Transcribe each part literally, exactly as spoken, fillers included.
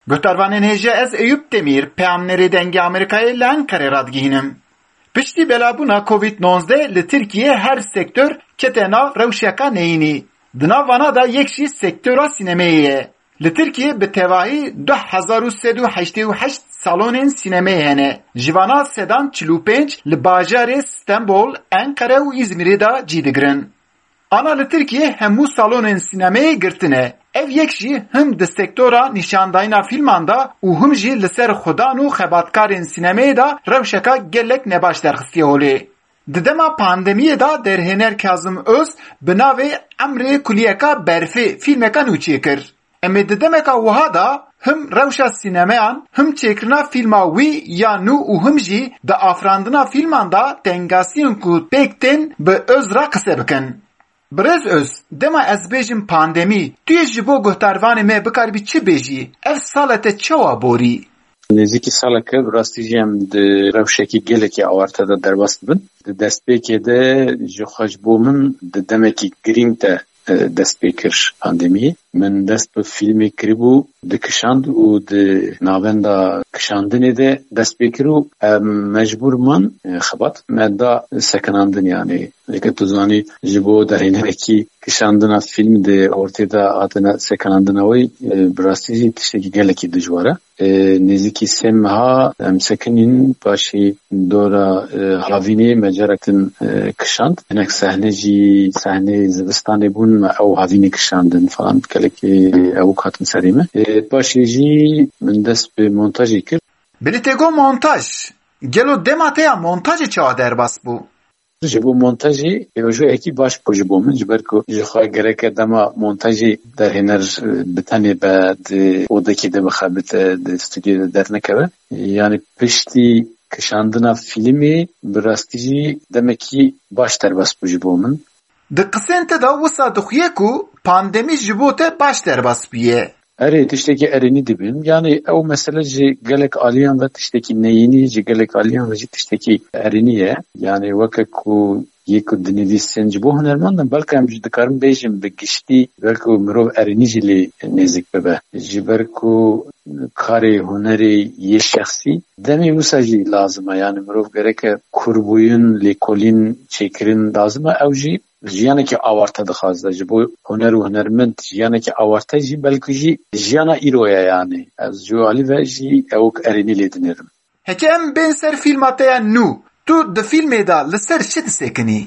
Guhdarvanên hêja, ez Eyûp Demîr, peyamnerê Dengê Amerîkayê li Enqerê radigihînim. Piştî belabûna Covid nozdeh li Tirkiyê her sektor kete nav rewşeka neyînî. Di nav vana de yek jî sektora sînemeyê ye. Li Tirkiyê bi tevahî du hezar û sed û heştê û heşt salonên sînemeyê hene. Ji vana sedan çil û pênc li bajarê Stenbol, Enqere û Îzmîrê de cî digirin. Ana li Tirkiyê hemû salonên sînemeyê girtine. Ev yek jî him di sektora nîşandayîna fîlman de û him jî li ser xudan û xebatkarên sînemeyê de rewşeka gelek nebaş derxistiye holê. Di dema pandemiyê de derhêner Kazim Öz bi navê Emrê Kuliyeka Berfê fîlmeka nû çêkir. Em ê di demeka wiha de him rewşa sînemeyan, him çêkirina fîlma wî ya nû û him jî di afirandina fîlman de tengasiyên ku pêk tên bi Öz re qise bikin. Birêz Öz, dema ez bêjim pandemî, tu yê ji bo guhdarvanê me bikaribî çi bêjî? Ev sala te çawa borî? Nêzîkî saleke bi rastî jî em di rewşekî gelekî awarte de derbas dibin. Di destpêkê de ji xwe ji bo min di demekî girîng de, e, dest pê kir pandemiyê. Min dest bi fîlmê kiribû, dikişand û di navenda kişandinê de dest pê kir û em mecbûr man, e, xebat me da sekinandin, yanî. Leke tu zanî, ji bo derhênerekî kişandina fîlm di ortê de hatine sekinandina wê, e, bi rastî jî tiştekî gelekî dijwar e. E, nêzîkî sê meha em sekinîn, paşî dora, e, havînê me carek din, e, kişand. Hinek sehne jî, sehnê zivistanê bûn, me ew havînê kişandin falan, gelekî ewk hatin serê me. E, paşê jî min dest bi montajê kir. Belê te got montaj. Gelo dema te ya montajê çawa derbas bû? Ji bo montajê pêvajoyekî baş bû ji bo min, ji ber ku ji xwe gereke dema montajê derhêner, e, bi tenê be, di odekê de bixebite, di stûdyoyê de dernekeve. Yanî piştî kişandina fîlmê bi rastî jî demekî baş derbas bû ji bo min. Di qisên te de wisa dixuye ku pandemî ji bo te baş derbas bûye. Erê, tiştekî erênî dibin. Yanî ew mesele ji gelek aliyan ve tiştekî neyînî, ji gelek aliyan ve jî tiştekî erênî ye. Yanî weke ku yê ku dinivîsin ji bo hunermend in, belke em jî dikarin bêjin bi giştî, belku mirov erênî jî lê nêzik bibe. Ji ber ku karê hunerê yê şexsî demê wisa jî lazim e. Yanî mirov gereke kurbûyîn, lêkolîn çêkirin lazim e. Ew jî jiyanekî awarte dixwaze. Ji bo huner û hunermend jiyanekî awarte jî, belkî jî jiyana îro ye yanî. Ez ji alî ve jî ewk erênî lê dinêrim. Heke em bên ser fîlma te ya nû, tu di fîlmê de li ser çi disekinî?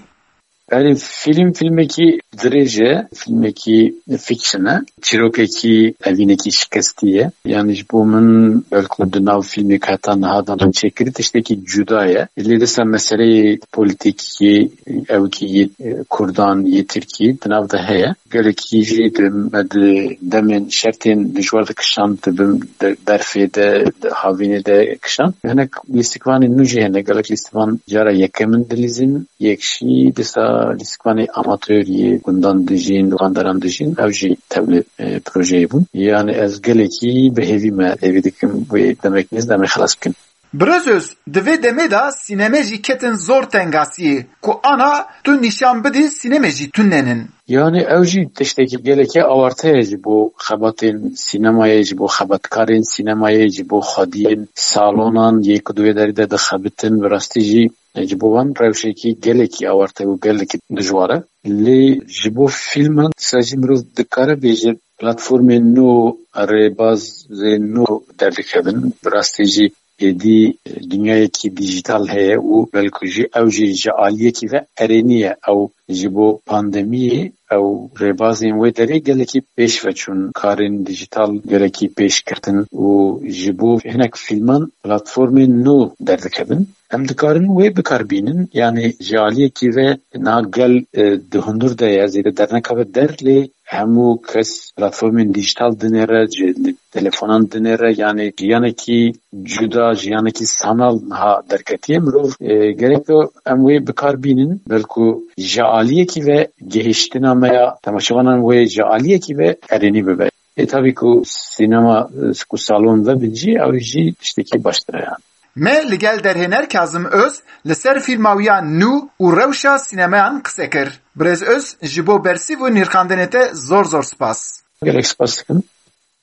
Erê, fîlm, fîlmekî dirêj e, fîlmekî fiction e. Çîrokekî evînekî şikestî ye. Yanî ji bo min belku di nav fîlmê ku heta niha dan çêkirî tiştekî cuda ye. Lê dîsa meseleyê polîtîkî, ewkî yê, e, Kurdan, yê Tirkî di nav de heye. Gelekî jî di, me di demên şertên dijwar de kişand, di bin de, berfê de, di havînê de kişand. Hinek lîstikvanên nû jî hene. Gelek lîstikvan cara yekem in dilîzin. Yek jî dîsa lîstikvanê amator yê gundan dijîn, li van deran dijîn. Ew jî tevlê, e, projeyê bûn. Yanî ez gelekî bi hêvî me hêvî dikim wê demek nêz de em ê xelas bikin. Birêz Öz, di vê demê de sîneme jî ketin zor tengasiyê, ku ana tu nîşan bidî sîneme jî tune nin. Yanî ew jî tiştekî gelekî awarte ye ji bo xebatên sînemayê, ji bo xebatkarên sînemayê, ji bo xwediyên salonan yê ku di wê derê de dixebitin, bi rastî jî ji bo wan rewşekî gelekî awarte û gelekî dijwar e. Lê ji bo fîlman dîsa jî mirov dikare bêje platformên nû, rêbazên nû derdikevin. Bi rastî jî êdî dinyayekî dîjîtal heye û belku jî ew jî ji aliyekî ve erênî ye. Ew ji bo pandemiyê ew rêbazên wê derê gelekî pêş ve çûn. Karên dîjîtal gelekî pêş ketin û ji bo hinek fîlman platformên nû derdikevin. Em dikarin wê bikar bînin, yanî ji aliyekî ve niha gel, e, di hundir de ye, zêde dernekeve der, lê hemû kes platformên dîjîtal dinêre, ji li telefonan dinêre, yanî jiyanekî cuda, jiyanekî sanal niha derketiye. Mirov, e, gerek em wê bikar bînin, belku ji aliyekî ve gihiştina me ya temaşevanan wê ji aliyekî ve erênî bibe. Ê, tabî ku sînema, e, ku salon vebin jî, ew jî tiştekî baştir e, yanî. Me li gel derhêner Kazim Öz li ser fîlma wî ya nû û rewşa sînemeyan qise kir. Birêz Öz, ji bo bersîv û nirxandinê te zor zor spas. Gelek spas dikim.